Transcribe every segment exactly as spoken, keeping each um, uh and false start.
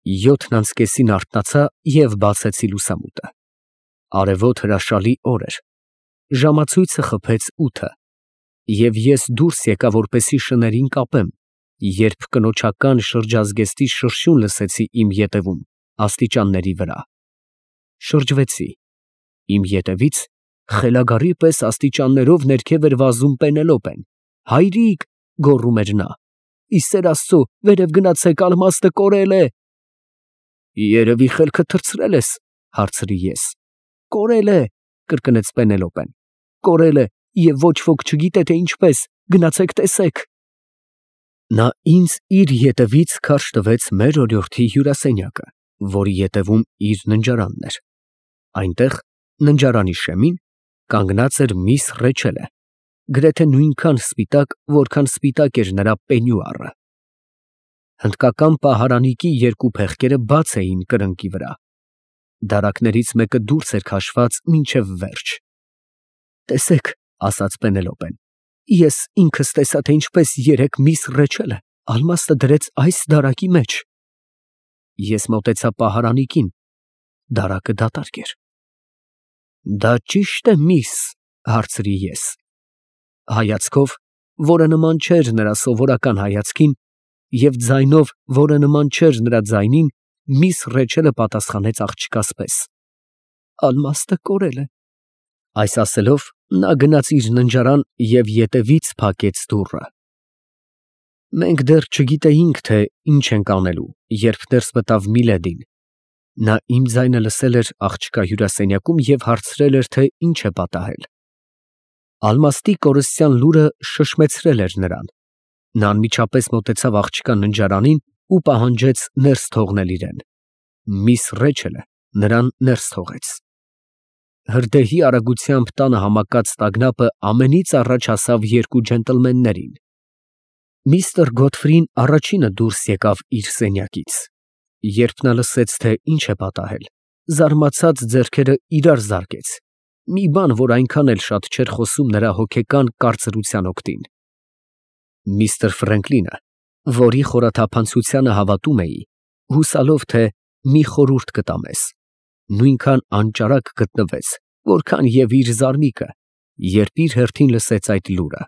Յոթն անց կեսին արթնացա և բացեցի լուսամուտը. արևոտ հրաշալի օր էր, ժամացույցը խփեց ութը, և ես դուրս եկա, որպեսզի շներին կապեմ, երբ կնոջական շրջազգեստի շրշյուն լսեցի իմ ետևում, աստիճանների վրա. շրջվեցի, իմ ետևից խելագարի պես աստիճաններով ներքև էր վազում Պենելոպեն։ «Հայրիկ», գոռում էր նա, «ի սեր Աստծո, վերև գնացեք, ալմաստը կորել է»։ «Երևի խելքդ թռցրել ես», հարցրի ես։ «Կորել է», կրկնեց Պենելոպեն, «կորել է, և ոչ ոք չգիտե, թե ինչպես, գնացեք տեսեք»։ Նա ինձ իր ետևից քարշ տվեց մեր օրիորդի հյուրասենյակը, որի ետևում իր ննջարանն էր։ Այնտեղ, ննջարանի շեմին, կանգնած էր միս Ռեչելը, գրեթե նույնքան սպիտակ, որքան սպիտակ էր նրա պենյուարը։ Հնդկական պահարանիկի երկու փեղկերը բաց էին կրնկի վրա, դարակներից մեկը դուրս էր քաշված մինչև վերջ։ «Տեսեք», ասաց Պենելոպեն, «ես ինքս տեսա, թե ինչպես երեկ միս Ռեչելը ալմաստը դրեց այս դարակի մեջ»։ Ես մոտեցա պահարանիկին, դարակը դատարկ էր։ «Դա ճի՞շտ է, միս», հարցրի ես։ Հայացքով, որը նման չէր նրա սովորական հայացքին, և ձայնով, որը նման չէր նրա ձայնին, միս Ռեչելը պատասխանեց աղջկաս պես. «Ալմաստը կորել է»։ Այս ասելով, նա գնաց իր ննջարան և ետևից փակեց դուռը։ Մենք դեռ չգիտեինք, թե ինչ ենք անելու, երբ ներս մտավ Միլեդին։ Նա իմ ձայնը լսել էր աղջկա հյուրասենյակում և հարցրել էր, թե ինչ է պատահել։ Ալմաստի կորստյան լուրը շշմեցրել էր նրան։ Նա անմիջապես մոտեցավ աղջկա ննջարանին ու պահանջեց ներս թողնել իրեն։ Միս Ռեչելը նրան ներս թողեց։ Հրդեհի արագությամբ տանը համակած տագնապը ամենից առաջ հասավ երկու ջենտլմեններին։ Միստր Գոթֆրին առաջինը դուրս եկավ իր սենյակից։ Երբ նա լսեց, թե ինչ է պատահել, զարմացած ձեռքերը իրար զարկեց, մի բան, որ այնքան էլ շատ չէր խոսում նրա հոգեկան կարծրության օգտին։ Միստր Ֆրենկլինը, որի խորաթափանցությանը հավատում էի, հուսալով, թե մի խորհուրդ կտա մեզ, նույնքան անճարակ գտնվեց, որքան և իր զարմիկը, երբ իր հերթին լսեց այդ լուրը։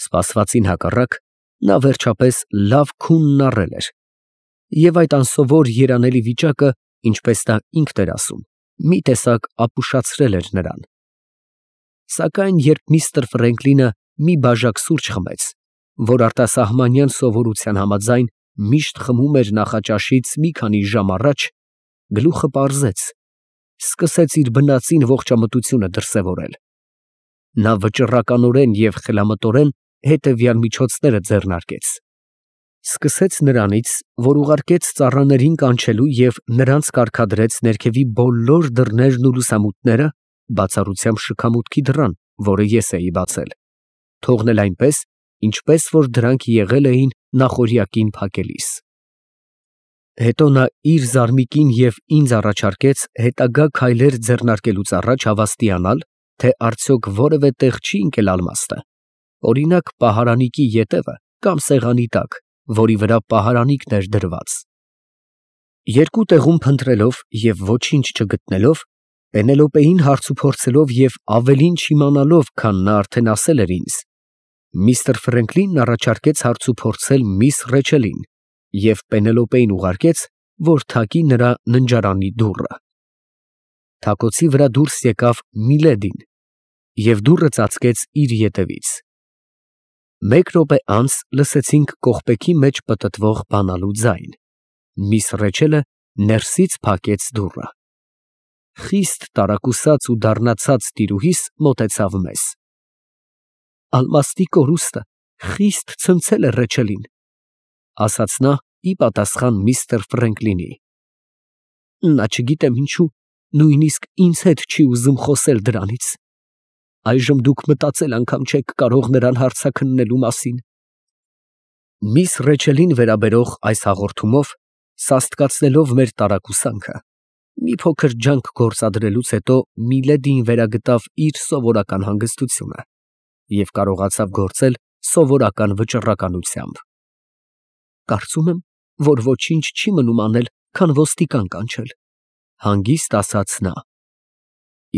Սպասվածին հակառակ, նա վերջապես լավ քունն առել էր, և այդ անսովոր երանելի վիճակը, ինչպես նա ինքն էր ասում, մի տեսակ ապուշացրել էր նրան։ Սակայն երբ միստր Ֆրենկլինը մի բաժակ սուրճ խմեց, որ արտասահմանյան սովորության համաձայն միշտ խմում էր նախաճաշից մի քանի ժամ առաջ, գլուխը պարզեց, սկսեց իր բնածին ողջամտությունը դրսևորել։ Նա վճռականորեն և խելամտորեն հետևյալ միջոցները ձեռնարկեց. Սկսեց նրանից, որ ուղարկեց ծառաներին կանչելու և նրանց կարգադրեց ներքևի բոլոր դռներն ու լուսամուտները, բացառությամբ շքամուտքի դռան, որը ես էի բացել, թողնել այնպես, ինչպես որ դրանք եղել էին նախօրյակին փակելիս։ Հետո նա իր զարմիկին և ինձ առաջարկեց հետագա քայլեր ձեռնարկելուց առաջ հավաստիանալ, թե արդյոք որևէ տեղ չի ընկել ալմաստը, օրինակ պահարանիկի ետևը կամ սեղանի տակ, որի վրա պահարանիկն էր դրված։ Երկու տեղում փնտրելով և ոչինչ չգտնելով, Պենելոպեին հարցուփորձելով և ավելին չիմանալով, քան նա արդեն ասել էր ինձ, միստր Ֆրենկլինն առաջարկեց հարցուփորձել միս Ռեչելին և Պենելոպեին ուղարկեց, որ թակի նրա ննջարանի դուռը։ Թակոցի վրա դուրս եկավ Միլեդին և դուռը ծածկեց իր ետևից։ Մեկ րոպե անց լսեցինք կողպեքի մեջ պտտվող բանալու ձայն։ Միս Ռեչելը ներսից փակեց դուռը։ Խիստ տարակուսած ու դառնացած տիրուհիս մոտեցավ մեզ։ «Ալմաստի կորուստը խիստ ցնցել է Ռեչելին», ասաց նա ի պատասխան միստր Ֆրենկլինի։ «Նա չգիտեմ ինչու, նույնիսկ ինձ հետ չի ուզում խոսել դրանից։ Այժմ դուք մտածել անգամ չեք կարող նրան հարցաքննելու մասին»։ Միս Ռեչելին վերաբերող այս հաղորդումով, սաստկացնելով մեր տարակուսանքը, մի փոքր ջանք գործադրելուց հետո Միլեդիին վերագտավ իր սովորական հանգստությունը և կարողացավ գործել սովորական վճռականությամբ։ «Կարծում եմ, որ ոչինչ չի մնում անել, քան ոստիկան կանչել, հանգիստ ասաց նա։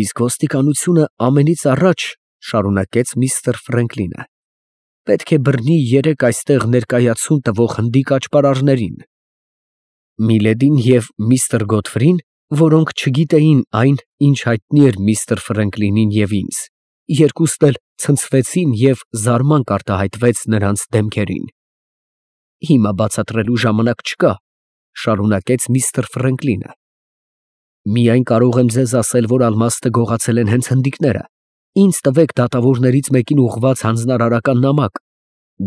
Իսկ ոստիկանությունը ամենից առաջ, շարունակեց միստր Ֆրենկլինը, պետք է բռնի երեք այստեղ ներկայացում տվող հնդիկ աճպարարներին։ Միլեդին և միստր Գոթֆրին, որոնք չգիտեին այն, ինչ հայտնի էր միստր Ֆրենկլինին և ինձ, երկուստ էլ ցնցվեցին և զարմանք արտահայտվեց նրանց դեմքերին։ Հիմա բացատրելու ժամանակ չկա, շարունակեց միստր Ֆրենկլինը։ Միայն կարող եմ ձեզ ասել, որ ալմաստը գողացել են հենց հնդիկները։ Ինձ տվեք դատավորներից մեկին ուղղված հանձնարարական նամակ,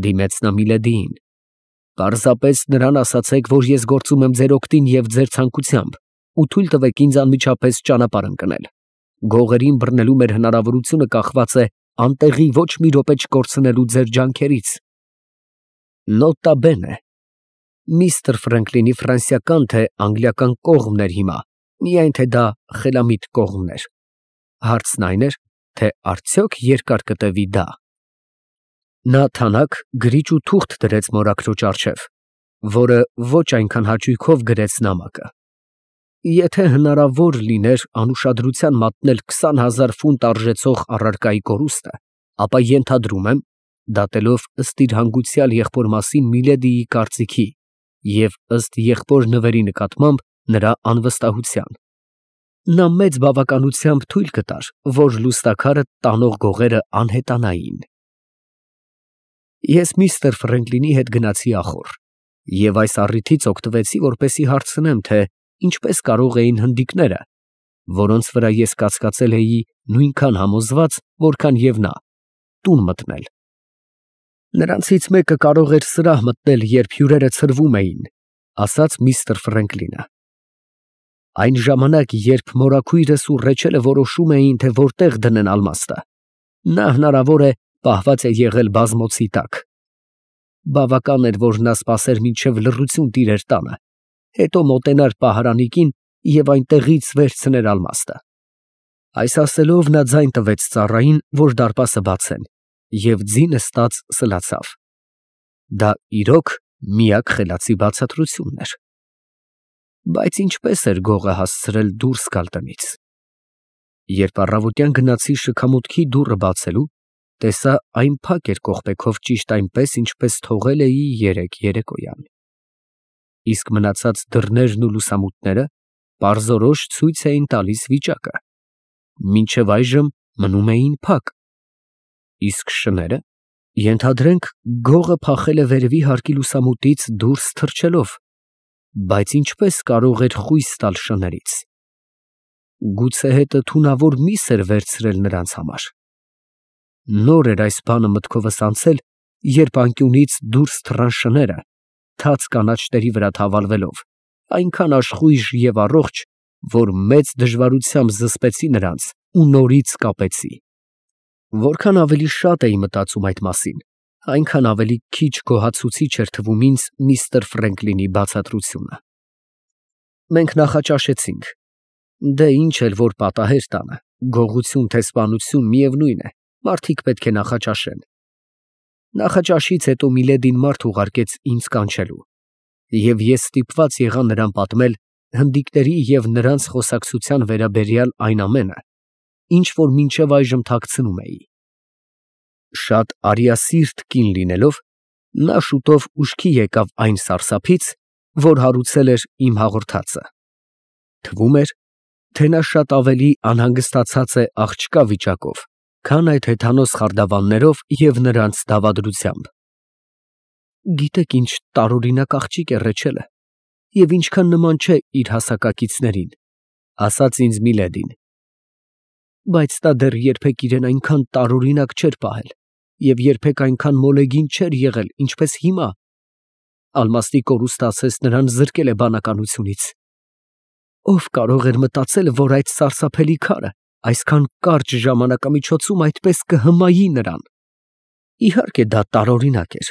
դիմեց նա Միլեդիին։ Պարզապես նրան ասացեք, որ ես գործում եմ ձեր օգտին և ձեր ցանկությամբ, ու թույլ տվեք ինձ անմիջապես ճանապարհ ընկնել։ Գողերին բռնելու մեր հնարավորությունը կախված է անտեղի ոչ մի րոպե չկորցնելու ձեր ջանքերից։ Նոտա բենե. միստր Ֆրենկլինի ֆրանսիական թե անգլիական կողմն էր հիմա, միայն թե դա խելամիտ կողմն էր։ Հարցն այն էր, թե արդյոք երկար կտևի դա։ Նա թանաք գրիչ ու թուղթ դրեց մորաքրոջ առջև, որը ոչ այնքան հաճույքով գրեց նամակը։ Եթե հնարավոր լիներ անուշադրության մատնել քսան հազար ֆունտ արժեցող առարկայի կորուստը, ապա ենթադրում եմ, դատելով ըստ իր հանգուցյալ եղբոր մասին Միլեդիի կարծիքի և ըստ եղբոր նվերի նկատմամբ նրա անվստահության, նա մեծ բավականությամբ թույլ կտար, որ լուստաքարը տանող գողերը անհետանային։ Ես միստր Ֆրենկլինի հետ գնացի ախոռ և այս առիթից օգտվեցի, որպեսզի հարցնեմ, թե ինչպես կարող էին հնդիկները, որոնց վրա ես կասկածել էի նույնքան համոզված, որքան և նա, տուն մտնել։ Նրանցից մեկը կարող էր սրահ մտնել, երբ հյուրերը ցրվում էին, ասաց միստր Ֆրենկլինը։ Այն ժամանակ, երբ մորաքույրս ու Ռեչելը որոշում էին, թե որտեղ դնեն ալմաստը, նա հնարավոր է պահված է եղել բազմոցի տակ։ Բավական էր, որ նա սպասեր մինչև լռություն տիրեր տանը, հետո մոտենար պահարանիկին և այնտեղից վերցներ ալմաստը։ Այս ասելով նա ձայն տվեց ծառային, որ դարպասը բացեն, և ձինը ստած սլացավ։ Դա իրոք միակ խելացի բացատրությունն էր։ Բայց ինչպես էր գողը հասցրել դուրս գալ տնից։ Երբ առավոտյան գնացի շքամուտքի դուռը բացելու, տեսա այն փակ էր կողպեքով ճիշտ այնպես, ինչպես թողել էի երեկ երեկոյան։ Իսկ մնացած դռներն ու լուսամուտները պարզորոշ ցույց էին տալիս վիճակը։ Մինչև այժմ մնում էին փակ։ Իսկ շները, ենթադրենք, գողը փախել է վերևի հարկի լուսամուտից դուրս թռչելով, բայց ինչպես կարող էր խույս տալ շներից։ Գուցե հետը թունավոր միս էր վերցրել նրանց համար։ Նոր էր այս բանը մտքովս անցել, երբ անկյունից դուրս թռան շները, թաց կանաչների վրա թավալվելով, այնքան աշխույժ և առողջ, որ մեծ դժվարությամբ զսպեցի նրանց ու նորից կապեցի։ Որքան ավելի շատ էի մտածում այդ մասին, այնքան ավելի քիչ գոհացուցիչ էր թվում ինձ միստր Ֆրենկլինի բացատրությունը։ Մենք նախաճաշեցինք։ Դե ինչ էլ որ պատահեր տանը, գողություն թե սպանություն, միևնույն է, մարդիկ պետք է նախաճաշեն։ Նախաճաշից հետո Միլեդին մարդ ուղարկեց ինձ կանչելու, և ես ստիպված եղա նրան պատմել հնդիկների և նրանց խոսակցության վերաբերյալ այն ամենը, ինչ որ մինչև այժմ թաքցնում էի։ Շատ արիասիրտ կին լինելով, նա շուտով ուշքի եկավ այն սարսափից, որ հարուցել էր իմ հաղորդածը։ Թվում էր, թե նա շատ ավելի անհանգստացած է աղջկա վիճակով, քան այդ հեթանոս խարդավաններով և նրանց դավադրությամբ։ Գիտեք ինչ տարօրինակ աղջիկ է Ռեչելը, և ինչքան նման չէ իր հասակակիցներին, ասաց ինձ Միլեդին։ Բայց նա դեռ երբեք իրեն այնքան տարօրինակ չէր պահել և երբեք այնքան մոլեգին չէր եղել, ինչպես հիմա։ Ալմաստի կորուստը ասես նրան զրկել է բանականությունից։ Ո՞վ կարող էր մտածել, որ այդ սարսափելի քարը այսքան կարճ ժամանակամիջոցում այդպես կհմայի նրան։ Իհարկե դա տարօրինակ էր։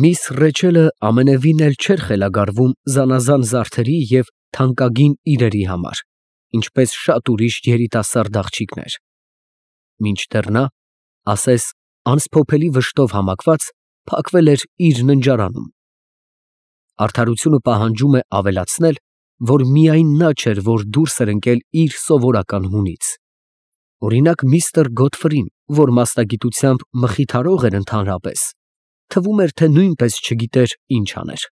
Միս Ռեչելը ամենևին էլ չէր խելագարվում զանազան զարդերի և թանկագին իրերի համար, ինչպես շատ ուրիշ երիտասարդ աղջիկներ։ Մինչդեռ նա, ասես անսփոփելի վշտով համակված, փակվել էր իր ննջարանում։ Արդարությունը պահանջում է ավելացնել, որ միայն նա չէր, որ դուրս էր ընկել իր սովորական հունից։ Օրինակ միստր Գոթֆրին, որ մասնագիտությամբ մխիթարող էր ընդհանրապես, թվում էր, թե նույնպես չգիտեր ինչ աներ։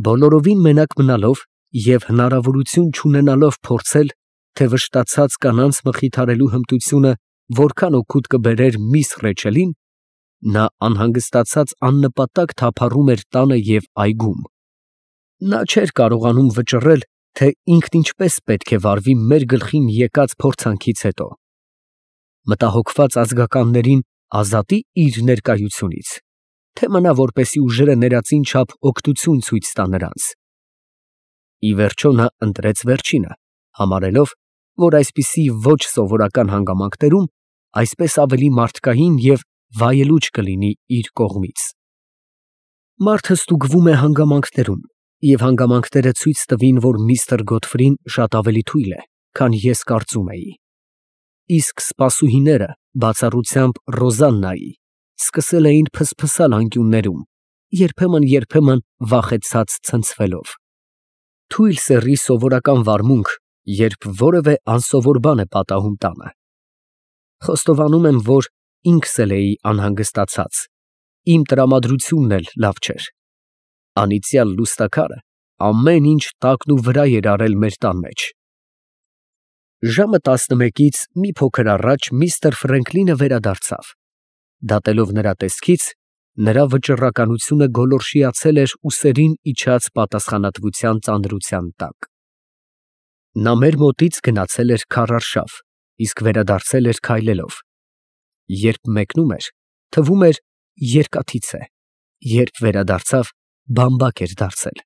Բոլորովին մենակ մնալով և հնարավորություն չունենալով փորձել, թե վշտացած կանանց մխիթարելու հմտությունը որքան օգուտ կբերեր միս Ռեչելին, նա անհանգստացած աննպատակ թափառում էր տանը և այգում։ Նա չէր կարողանում վճռել, թե ինքն ինչպես պետք է վարվի մեր գլխին եկած փորձանքից հետո. մտահոգված ազգականներին ազատի իր ներկայությունից, թե մնա որպեսի ուժերը ներածին չափ օգնություն ցույց տա նրանց։ Ի վերջո նա ընտրեց վերջինը, համարելով, որ այսպիսի ոչ սովորական հանգամանքներում այսպես ավելի մարդկային և վայելուչ կլինի իր կողմից։ Մարդը ստուգվում է հանգամանքներում, և հանգամանքները ցույց տվին, որ միստր Գոթֆրին շատ ավելի թույլ է, քան ես կարծում էի։ Իսկ սպասուհիները, բացառությամբ Ռոզաննայի, սկսել էին փսփսալ անկյուններում, երբեմն֊երբեմն վախեցած ցնցվելով։ Թույլ սեռի սովորական վարմունք, երբ որևէ անսովոր բան է պատահում տանը։ Խոստովանում եմ, որ ինքս էլ էի անհանգստացած, իմ տրամադրությունն էլ լավ չէր։ Անիծյալ լուստաքարը ամեն ինչ տակն ու վրա էր արել մեր տան մեջ։ Ժամը տասնմեկից մի փոքր առաջ միստր Ֆրենկլինը վերադարձավ։ Դատելով նրա տեսքից, նրա վճռականությունը գոլորշիացել էր ուսերին իջած պատասխանատվության ծանրության տակ։ Նա մեր մոտից գնացել էր քարարշավ, իսկ վերադարձել էր քայլելով։ Երբ մեկնում էր, թվում էր երկաթից է, երբ վերադարձավ, բամբակ էր դարձել։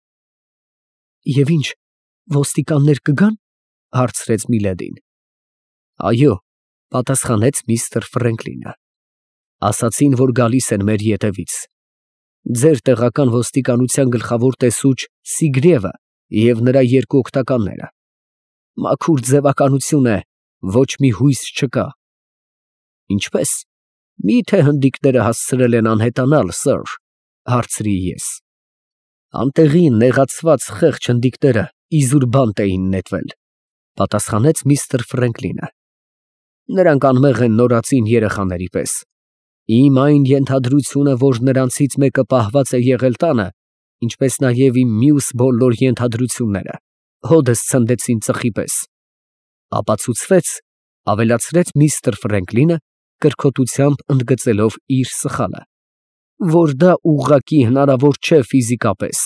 Եվ ինչ, ոստիկաններ կգա՞ն, հարցրեց Միլեդին։ Այո, պատասխանեց միստր Ֆրենկլինը, ասացին, որ գալիս են մեր ետևից։ Ձեր տեղական ոստիկանության գլխավոր տեսուչ Սիգրիևը և նրա երկու օգնականները։ Մաքուր ձևականություն է, ոչ մի հույս չկա։ Ինչպե՞ս, մի՞թե հնդիկները հասցրել են անհետանալ, սըր, հարցրի ես։ Անտեղի նեղացված խեղճ հնդիկները իզուր բանտ էին նետվել, պատասխանեց միստր Ֆրենկլինը։ Նրանք անմեղ են նորածին երեխաների պես։ Իմ այն ենթադրությունը, որ նրանցից մեկը պահված է եղել տանը, ինչպես նաև իմ մյուս բոլոր ենթադրությունները, հոդս ցնդեցին ծխի պես։ Ապացուցվեց, ավելացրեց միստր Ֆրենկլինը, կրքոտությամբ ընդգծելով իր սխալը, որ դա ուղղակի հնարավոր չէ ֆիզիկապես։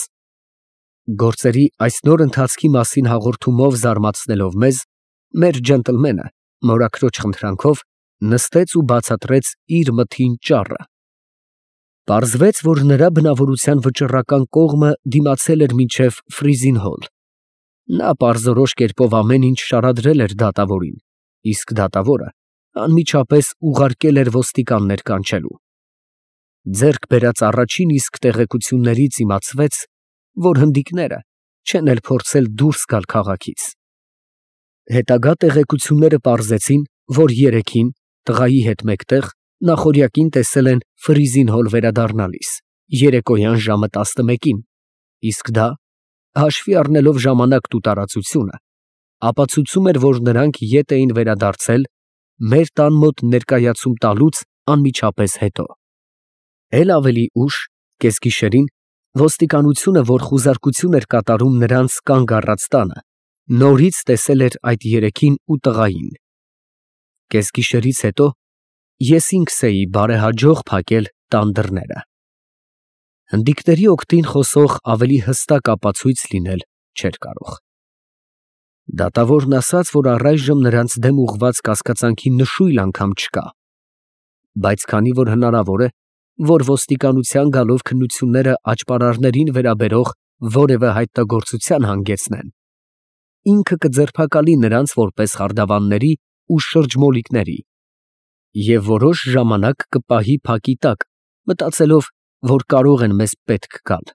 Գործերի այս նոր ընթացքի մասին հաղորդումով զարմացնելով մեզ, մեր ջենտլմենը, մորաքրոջ խնդրանքով, նստեց ու բացատրեց իր մտին ճառը։ Պարզվեց, որ նրա բնավորության վճռական կողմը դիմացել էր մինչև Ֆրիզին հոլ։ Նա պարզորոշ կերպով ամեն ինչ շարադրել էր դատավորին, իսկ դատավորը անմիջապես ուղարկել էր ոստիկաններ կանչելու։ Ձեռք բերած առաջին իսկ տեղեկություններից իմացվեց, որ հնդիկները չեն էլ փորձել դուրս գալ քաղաքից։ Հետագա տեղեկությունները պարզեցին, որ երեքին, տղայի հետ մեկտեղ, նախօրյակին տեսել են Ֆրիզին հոլ վերադառնալիս, երեկոյան ժամը տասնմեկին, իսկ դա, հաշվի առնելով ժամանակն ու տարածությունը, ապացուցում էր, որ նրանք ետ էին վերադարձել մեր տան մոտ ներկայացում տալուց անմիջապես հետո։ Էլ ավելի ուշ, կեսգիշերին, ոստիկանությունը, որ խուզարկություն էր կատարում նրանց կանգ առած տանը, նորից տեսել էր այդ երեքին ու տղային։ Կեսգիշերից հետո ես ինքս էի բարեհաջող փակել տան դռները։ Հնդիկների օգտին խոսող ավելի հստակ ապացույց լինել չէր կարող։ Դատավորն ասաց, որ առայժմ նրանց դեմ ուղղված կասկածանքի նշույլ անգամ չկա, բայց քանի որ հնարավոր է, որ ոստիկանության գալով քննությունները աճպարարներին վերաբերող որևէ հայտնագործության հանգեցնեն, ինքը կձերբակալի նրանց որպես խարդավանների ու շրջմոլիկների և որոշ ժամանակ կպահի փակի տակ, մտածելով, որ կարող են մեզ պետք գալ։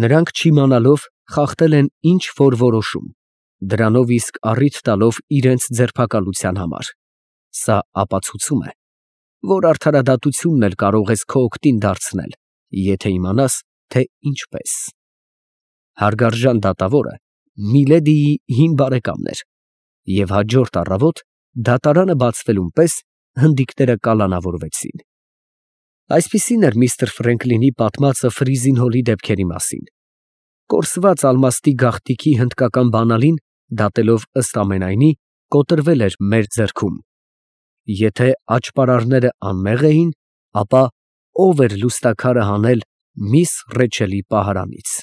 Նրանք չիմանալով խախտել են ինչ որ որոշում, դրանով իսկ առիթ տալով իրենց ձերբակալության համար։ Սա ապացուցում է, որ արդարադատությունն էլ կարող ես քո օգտին դարձնել, եթե իմանաս, թե ինչպես։ Հարգարժան դատավորը Միլեդիի հին բարեկամն էր, և հաջորդ առավոտ դատարանը բացվելուն պես հնդիկները կալանավորվեցին։ Այսպիսին էր միստր Ֆրենքլինի պատմածը Ֆրիզին Հոլի դեպքերի մասին։ Կորսված ալմաստի գաղտնիքի հնդկական բանալին, դատելով ըստ ամենայնի, կոտրվել էր մեր ձեռքում։ Եթե աճպարարները անմեղ էին, ապա ո՞վ էր լուստաքարը հանել միս Ռեչելի պահարանից։